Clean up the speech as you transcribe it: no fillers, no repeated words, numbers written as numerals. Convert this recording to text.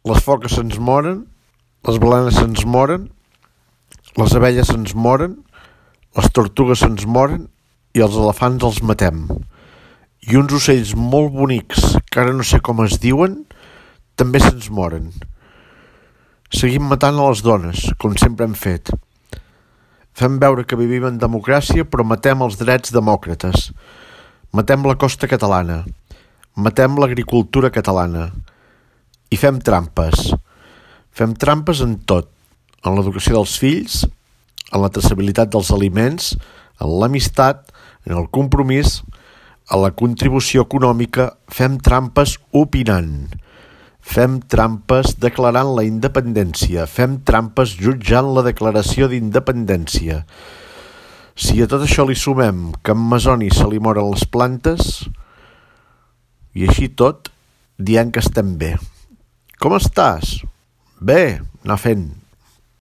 les foques se'ns moren, les balenes se'ns moren, les abelles se'ns moren, les tortugues se'ns moren i els elefants els matem. I uns ocells molt bonics, que ara no sé com es diuen, també se'ns moren. Seguim matant a les dones, com sempre hem fet. Fem veure que vivim en democràcia, però matem els drets demòcrates. Matem la costa catalana. Matem l'agricultura catalana. I fem trampes. Fem trampes en tot. En l'educació dels fills, en la traçabilitat dels aliments, en l'amistat, en el compromís, en la contribució econòmica. Fem trampes opinant. Fem trampes declarant la independència. Fem trampes jutjant la declaració d'independència. Si a tot això li sumem que en Masoni se li moren les plantes, i així tot, dient que estem bé. Com estàs? Bé, anar fent.